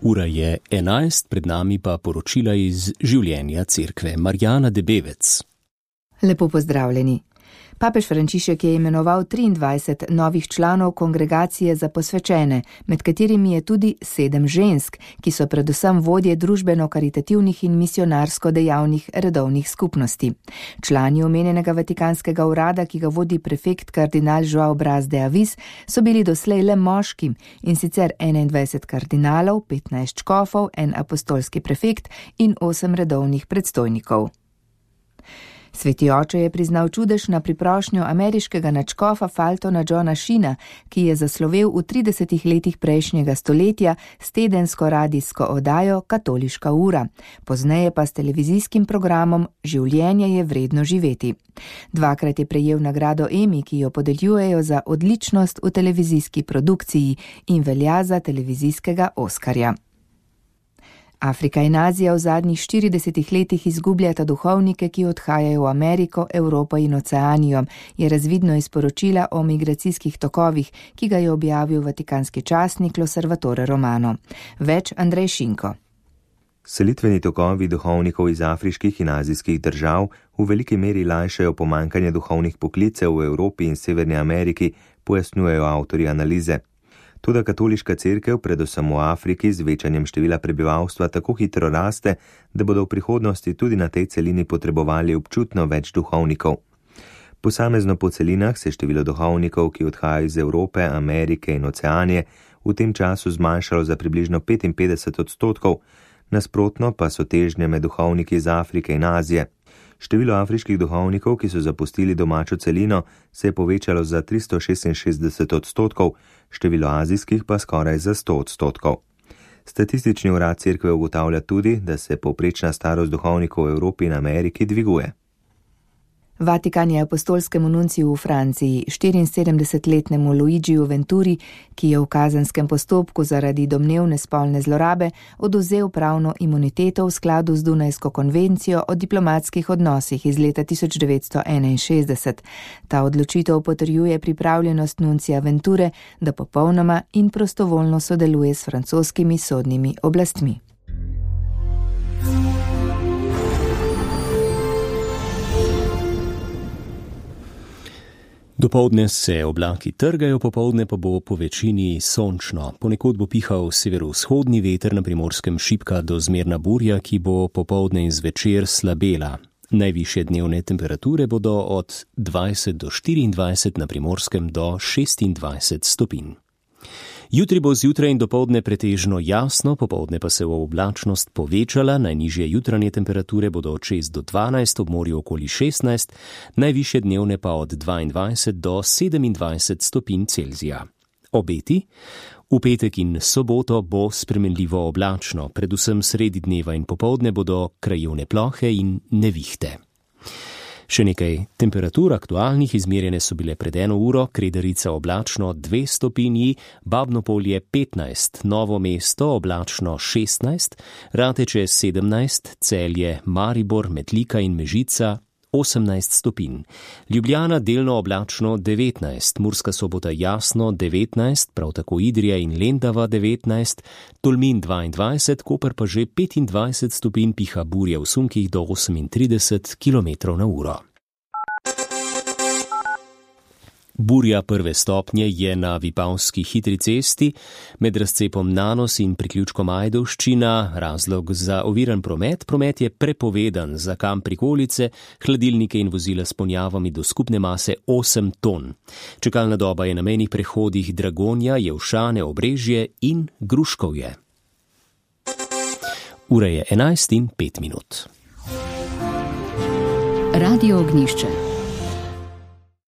Ura je 11, pred nami pa poročila iz življenja cerkve. Marjana Debevec. Lepo pozdravljeni. Papež Frančišek je imenoval 23 novih članov kongregacije za posvečene, med katerimi je tudi 7 žensk, ki so predvsem vodje družbeno-karitativnih in misionarsko dejavnih redovnih skupnosti. Člani omenjenega vatikanskega urada, ki ga vodi prefekt kardinal Joao Braz de Avis, so bili doslej le moški, in sicer 21 kardinalov, 15 škofov, en apostolski prefekt in 8 redovnih predstojnikov. Sveti oče je priznal čudež na priprošnjo ameriškega nadškofa Fultona Johna Sheena, ki je zaslovel v 30 letih prejšnjega stoletja s tedensko radijsko oddajo Katoliška ura, pozneje pa s televizijskim programom Življenje je vredno živeti. Dvakrat je prejel nagrado Emmy, ki jo podeljujejo za odličnost v televizijski produkciji in velja za televizijskega Oskarja. Afrika in Azija v zadnjih 40 letih izgubljata duhovnike, ki odhajajo v Ameriko, Evropo in Oceanijo, je razvidno iz poročila o migracijskih tokovih, ki ga je objavil vatikanski časnik L'Osservatore Romano. Več Andrej Šinko. Selitveni tokovi duhovnikov iz afriških in azijskih držav v veliki meri lajšajo pomanjkanje duhovnih poklicev v Evropi in Severni Ameriki, pojasnjujejo avtorji analize. Toda katoliška cerkev, predvsem v Afriki, z večanjem števila prebivalstva tako hitro raste, da bodo v prihodnosti tudi na tej celini potrebovali občutno več duhovnikov. Posamezno po celinah se število duhovnikov, ki odhajajo iz Evrope, Amerike in Oceanije, v tem času zmanjšalo za približno 55%, nasprotno pa so težnje med duhovniki iz Afrike in Azije. Število afriških duhovnikov, ki so zapustili domačo celino, se je povečalo za 366%, število azijskih pa skoraj za 100%. Statistični urad cerkve ugotavlja tudi, da se povprečna starost duhovnikov v Evropi in Ameriki dviguje. Vatikan je apostolskemu nunciju v Franciji, 74-letnemu Luigiju Venturi, ki je v kazenskem postopku zaradi domnevne spolne zlorabe odvzel pravno imuniteto v skladu z Dunajsko konvencijo o diplomatskih odnosih iz leta 1961. Ta odločitev potrjuje pripravljenost nuncija Venture, da popolnoma in prostovoljno sodeluje s francoskimi sodnimi oblastmi. Dopoldne se oblaki trgajo, popoldne pa bo po večini sončno. Ponekod bo pihal severovzhodni veter, na Primorskem šibka do zmerna burja, ki bo popoldne in zvečer slabela. Najvišje dnevne temperature bodo od 20 do 24, na Primorskem do 26 stopinj. Jutri bo zjutraj in dopoldne pretežno jasno, popoldne pa se bo oblačnost povečala, najnižje jutranje temperature bodo od 6 do 12, ob morju okoli 16, najvišje dnevne pa od 22 do 27 stopinj Celzija. Obeti? V petek in soboto bo spremenljivo oblačno, predvsem sredi dneva in popoldne bodo krajevne plohe in nevihte. Še nekaj temperatur aktualnih, izmerjene so bile pred 1 uro, Kredarica oblačno 2 stopinji, Babnopolje 15, Novo mesto oblačno 16, Rateče 17, Celje, Maribor, Metlika in Mežica 18 stopinj. Ljubljana delno oblačno 19, Murska Sobota jasno 19, prav tako Idrija in Lendava 19, Tolmin 22, Koper pa že 25 stopinj, piha burja v sunkih do 38 km/h. Burja 1. stopnje je na Vipavski hitri cesti med razcepom Nanos in priključkom Ajdovščina. Razlog za oviran promet? Promet je prepovedan za kamp prikolice, hladilnike in vozila s ponjavami do skupne mase 8 ton. Čakalna doba je na mejnih prehodih Dragonja, Jelšane, Obrežje in Gruškovje. Ura je 11:05. Radio Ognjišče.